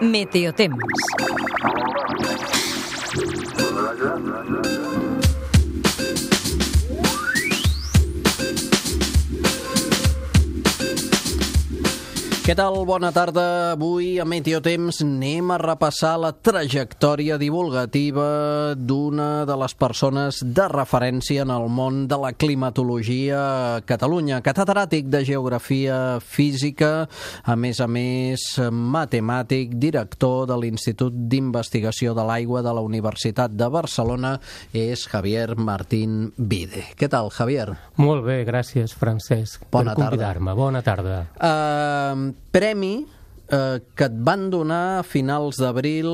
Meteotemps. Què tal? Bona tarda. Avui a Meteotemps anem a repassar la trajectòria divulgativa d'una de les persones de referència en el món de la climatologia a Catalunya. Catedràtic de Geografia Física, a més matemàtic, director de l'Institut d'Investigació de l'Aigua de la Universitat de Barcelona, és Javier Martín Vide. Què tal, Javier? Molt bé, gràcies, Francesc, per convidar-me. Bona tarda. Premi que et van donar a finals d'abril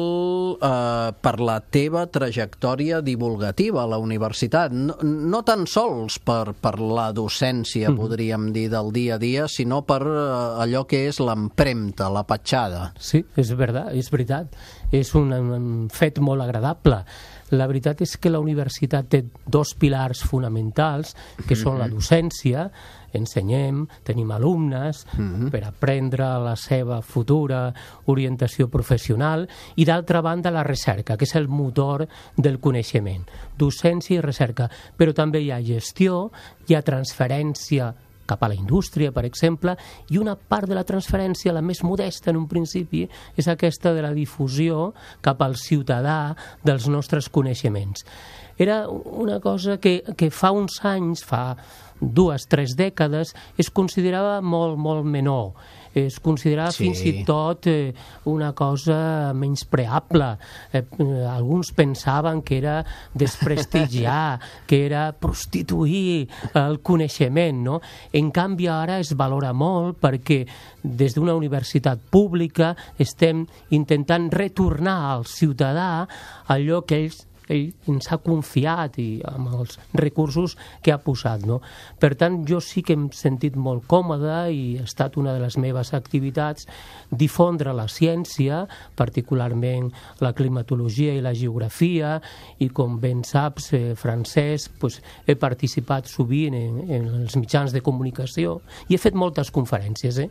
per la teva trajectòria divulgativa a la universitat. No tan sols per la docència, podríem dir, del dia a dia, sinó per allò que és l'empremta, la petjada. Sí, és veritat. És un fet molt agradable. La veritat és que la universitat té dos pilars fonamentals, que són la docència, ensenyem, tenim alumnes per aprendre la seva futura orientació professional, i d'altra banda la recerca, que és el motor del coneixement. Docència i recerca, però també hi ha gestió, hi ha transferència cap a la indústria, per exemple, i una part de la transferència, la més modesta en un principi, és aquesta de la difusió cap al ciutadà dels nostres coneixements. Era una cosa que fa uns anys, fa 2-3 dècades, es considerava molt menor. Es considerava fins i tot una cosa menyspreable. Alguns pensaven que era desprestigiar, que era prostituir el coneixement, no? En canvi, ara es valora molt perquè des d'una universitat pública estem intentant retornar al ciutadà allò que ell ens ha confiat i amb els recursos que ha posat, no? Per tant, jo sí que hem sentit molt còmode i ha estat una de les meves activitats difondre la ciència, particularment la climatologia i la geografia, i com ben saps, Francesc, he participat sovint en els mitjans de comunicació i he fet moltes conferències.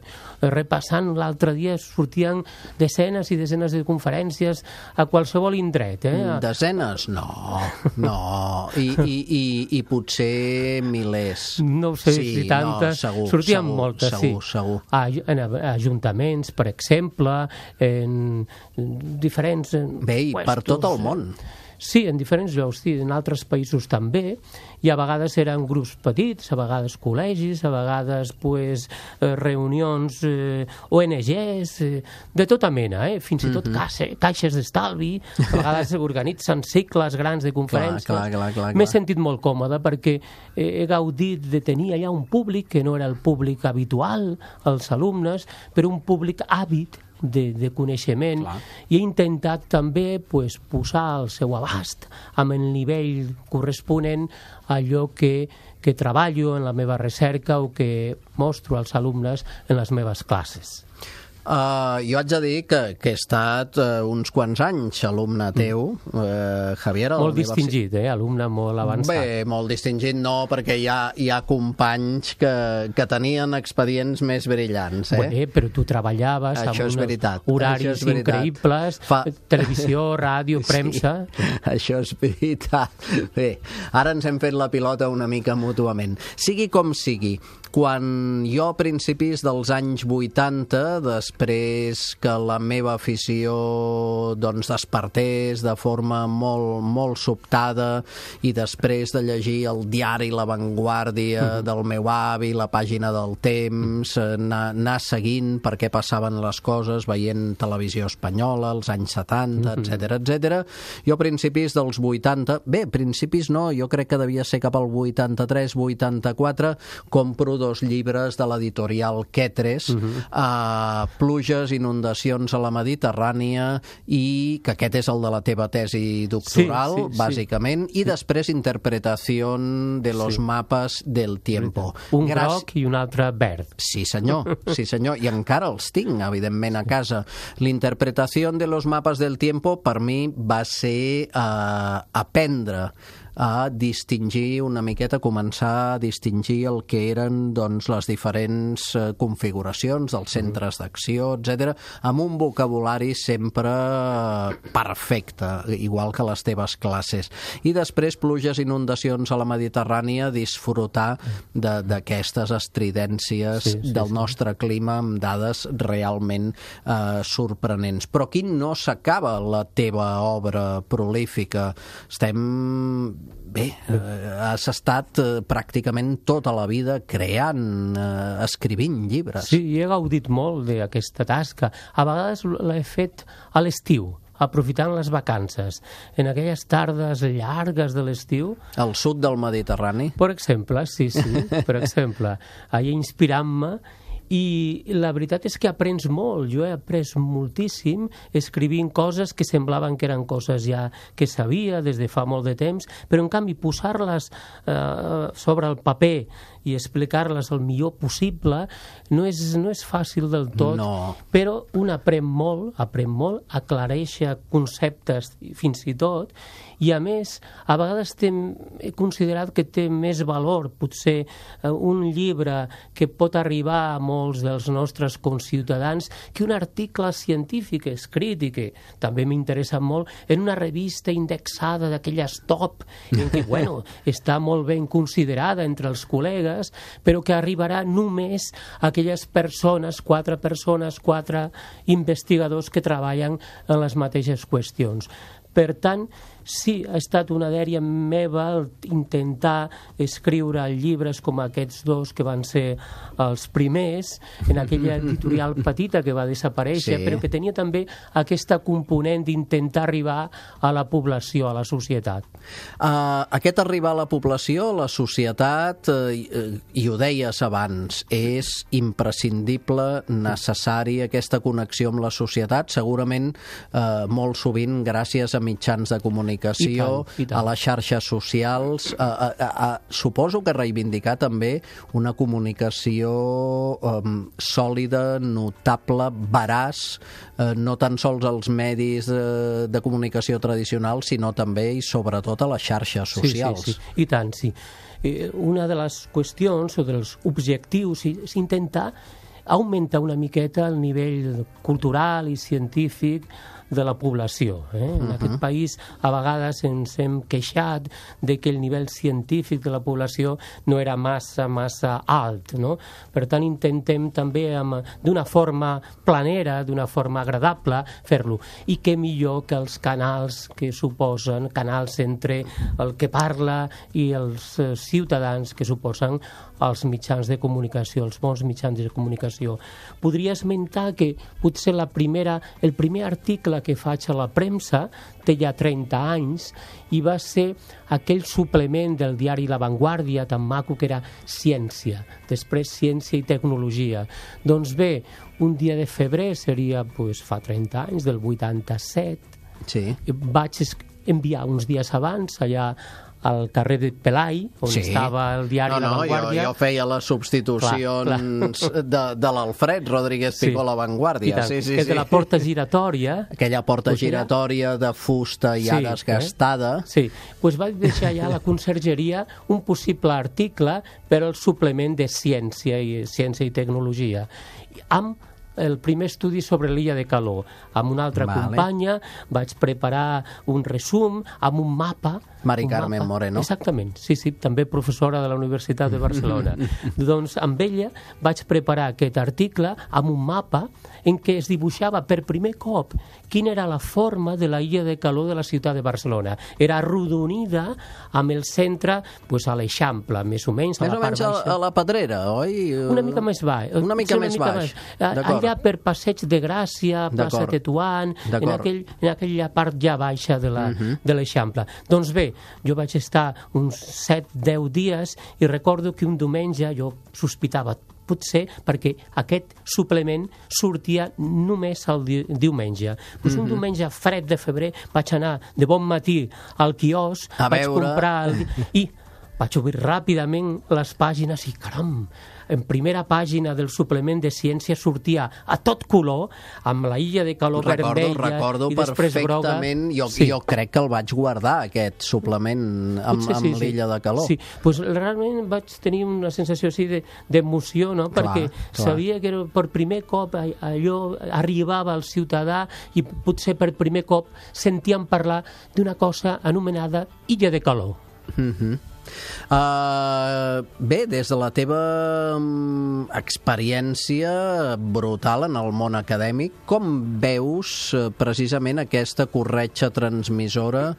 Repassant, l'altre dia sortien desenes i desenes de conferències a qualsevol indret. Desenes? No. I potser milers. No sé si tantes. Segur, sortien moltes, segur. En ajuntaments, per exemple, en diferents... Bé, i per tot el món. Sí, en diferents llocs, sí, en altres països també, i a vegades eren grups petits, a vegades col·legis, a vegades reunions ONGs, de tota mena, fins i tot caixes d'estalvi, a vegades organitzen cicles grans de conferències. Clar. M'he sentit molt còmode perquè he gaudit de tenir allà un públic que no era el públic habitual, els alumnes, però un públic àvid de coneixement. Clar. I he intentat també posar al seu abast amb el nivell corresponent allò que treballo en la meva recerca o que mostro als alumnes en les meves classes. Jo haig de dir que he estat uns quants anys alumne teu, Javier. Molt distingit, alumne molt avançat. Bé, molt distingit no, perquè hi ha companys que tenien expedients més brillants. Bé, però tu treballaves amb uns horaris increïbles, televisió, ràdio, premsa... Això és veritat. Bé, ara ens hem fet la pilota una mica mútuament. Sigui com sigui, quan jo a principis dels anys 80, després que la meva afició despertés de forma molt sobtada i després de llegir el diari La Vanguardia del meu avi, la pàgina del Temps, anar seguint per què passaven les coses, veient televisió espanyola, als anys 70, etc. Jo a principis dels 80, principis no, jo crec que devia ser cap al 83-84, compro 2 llibres de l'editorial Quetres, pluges, inundacions a la Mediterrània, i que aquest és el de la teva tesi doctoral, bàsicament, i després interpretació de los mapas del tiempo. Un groc i un altre verd. Sí senyor, i encara els tinc, evidentment, a casa. L'interpretació de los mapas del tiempo per mi va ser aprendre a distingir una miqueta, començar a distingir el que eren doncs, les diferents configuracions dels centres d'acció, etc., amb un vocabulari sempre perfecte, igual que les teves classes. I després pluges, inundacions a la Mediterrània, disfrutar d'aquestes estridències del nostre clima amb dades realment sorprenents. Però aquí no s'acaba la teva obra prolífica. Has estat pràcticament tota la vida creant, escrivint llibres. Sí, he gaudit molt d'aquesta tasca. A vegades l'he fet a l'estiu, aprofitant les vacances, en aquelles tardes llargues de l'estiu. Al sud del Mediterrani? Per exemple, sí, per exemple. Allà inspirant-me. I la veritat és que aprens molt. Jo he après moltíssim escrivint coses que semblaven que eren coses ja que sabia des de fa molt de temps, però en canvi posar-les sobre el paper i explicar-les el millor possible no és fàcil del tot, però un aprèn molt, aclareix conceptes fins i tot, i a més, a vegades he considerat que té més valor, potser un llibre que pot arribar a molts dels nostres conciutadans, que un article científic escrit, i que també m'interessa molt, en una revista indexada d'aquelles top, en què, està molt ben considerada entre els col·legues, però que arribarà només a aquelles persones, 4 investigadors que treballen en les mateixes qüestions. Per tant, sí, ha estat una dèria meva intentar escriure llibres com aquests dos que van ser els primers, en aquella editorial petita que va desaparèixer, però que tenia també aquesta component d'intentar arribar a la població, a la societat. Aquest arribar a la població, a la societat, i ho deies abans, és imprescindible, necessari, aquesta connexió amb la societat, segurament molt sovint gràcies a mitjans de comunicació, a les xarxes socials. Suposo que reivindicar també una comunicació sòlida, notable, veraç, no tan sols als medis de comunicació tradicionals, sinó també i sobretot a les xarxes socials. Sí, i tant, sí. Una de les qüestions o dels objectius és intentar augmentar una miqueta el nivell cultural i científic de la població. En aquest país a vegades ens hem queixat de que el nivell científic de la població no era massa alt, no? Per tant, intentem també d'una forma planera, d'una forma agradable, fer-lo. I què millor que els canals que suposen, canals entre el que parla i els ciutadans que suposen els mitjans de comunicació, els bons mitjans de comunicació. Podria esmentar que potser el primer article que faig a la premsa té ja 30 anys i va ser aquell suplement del diari La Vanguardia tan maco que era Ciència, després Ciència i Tecnologia. Doncs bé, un dia de febrer seria fa 30 anys, del 87, vaig enviar uns dies abans allà al carrer de Pelai, on estava el diari La Vanguardia. Jo feia les substitucions de l'Alfred Rodríguez Picó a La Vanguardia. Que és de la porta giratòria. Aquella porta giratòria de fusta ja desgastada. Sí, doncs vaig deixar allà a la consergeria un possible article per al suplement de Ciència i Tecnologia, amb el primer estudi sobre l'illa de Caló. Amb una altra companya vaig preparar un resum amb un mapa. Mari Carmen Moreno. Exactament, sí, també professora de la Universitat de Barcelona. Doncs amb ella vaig preparar aquest article amb un mapa en què es dibuixava per primer cop quina era la forma de la illa de Caló de la ciutat de Barcelona. Era arrodonida amb el centre a l'Eixample, més o menys a la part baixa. A la Pedrera, oi? Una mica més baix. Una mica més baix. Allà per Passeig de Gràcia, plaça Tetuan, en aquella part ja baixa de l'Eixample. Doncs bé, jo vaig estar uns 7-10 dies i recordo que un diumenge jo sospitava, potser perquè aquest suplement sortia només el diumenge. Un diumenge fred de febrer vaig anar de bon matí al quiosc, vaig comprar i vaig obrir ràpidament les pàgines i caram, en primera pàgina del suplement de ciència sortia a tot color, amb la illa de calor vermella i després groga. Perfectament, jo crec que el vaig guardar, aquest suplement amb l'illa de calor. Sí, doncs realment vaig tenir una sensació així d'emoció, no? Perquè sabia que per primer cop allò arribava al ciutadà i potser per primer cop sentíem parlar d'una cosa anomenada illa de calor. Bé, des de la teva experiència brutal en el món acadèmic, com veus precisament aquesta corretja transmissora?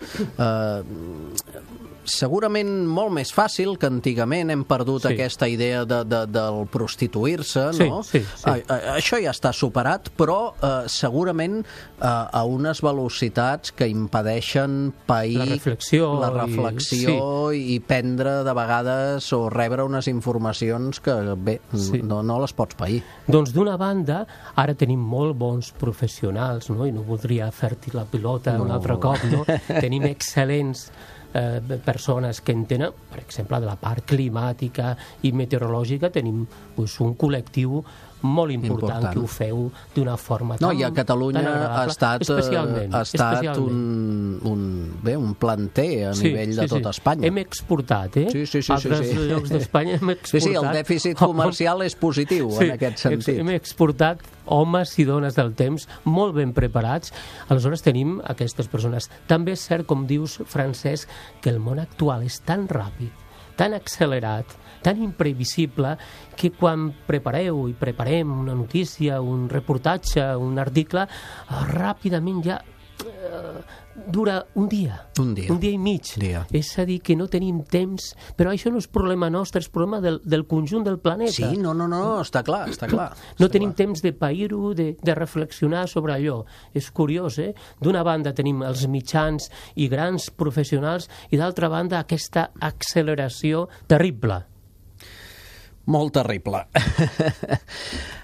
Segurament molt més fàcil que antigament. Hem perdut aquesta idea del prostituir-se, no? Sí. Això ja està superat, però segurament a unes velocitats que impedeixen pair la reflexió i prendre de vegades o rebre unes informacions que, bé, no les pots pair. Doncs d'una banda, ara tenim molt bons professionals, no? I no voldria fer-te la pilota un altre cop, no? Tenim excel·lents persones que entenen, per exemple, de la part climàtica i meteorològica. Tenim un col·lectiu molt important que ho feu d'una forma tan agradable. I a Catalunya ha estat un planter a nivell de tot Espanya. Hem exportat, Sí. Altres llocs d'Espanya hem exportat. Sí, el dèficit comercial és positiu en aquest sentit. Hem exportat homes i dones del temps molt ben preparats. Aleshores tenim aquestes persones. També és cert, com dius, Francesc, que el món actual és tan ràpid, tan accelerat, tan imprevisible, que quan preparem una notícia, un reportatge, un article, ràpidament ja dura un dia i mig. És a dir, que no tenim temps, però això no és problema nostre, és problema del conjunt del planeta. Sí, no, està clar. No tenim temps de pair-ho, de reflexionar sobre allò. És curiós, D'una banda tenim els mitjans i grans professionals i d'altra banda aquesta acceleració terrible. Molt terrible.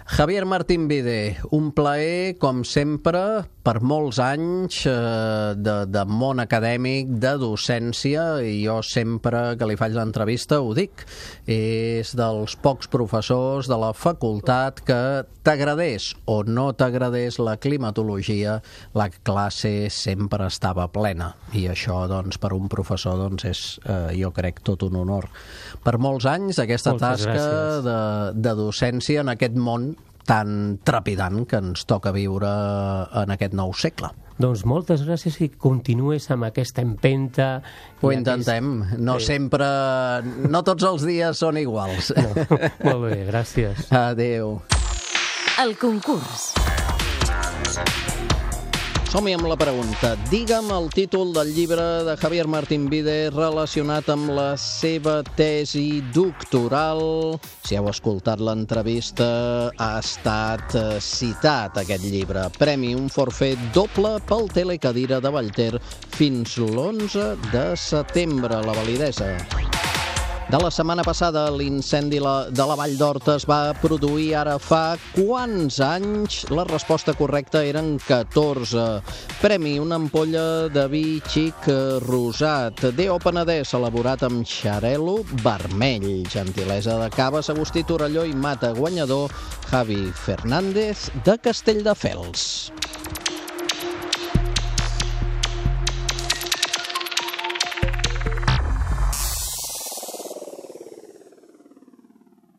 Javier Martín Vide, un plaer, com sempre, per molts anys de món acadèmic, de docència, i jo sempre que li faig l'entrevista ho dic. És dels pocs professors de la facultat que t'agradés o no t'agradés la climatologia, la classe sempre estava plena. I això, doncs, per un professor, doncs, és, jo crec, tot un honor. Per molts anys, aquesta tasca de docència en aquest món tan trepidant que ens toca viure en aquest nou segle. Doncs moltes gràcies i continues amb aquesta empenta. Ho intentem. Sempre... No tots els dies són iguals. Molt bé, gràcies. Adéu. El concurs. Som-hi amb la pregunta. Digue'm el títol del llibre de Javier Martín Vide relacionat amb la seva tesi doctoral. Si heu escoltat l'entrevista, ha estat citat aquest llibre. Premi un forfet doble pel Telecadira de Vallter fins l'11 de setembre. La validesa de la setmana passada, l'incendi de la Vall d'Horta es va produir ara fa quants anys? La resposta correcta eren 14. Premi una ampolla de vi xic rosat. D.O. Penedès, elaborat amb xarel·lo vermell. Gentilesa de Caves, Agustí Torelló i Mata. Guanyador, Javi Fernández, de Castelldefels.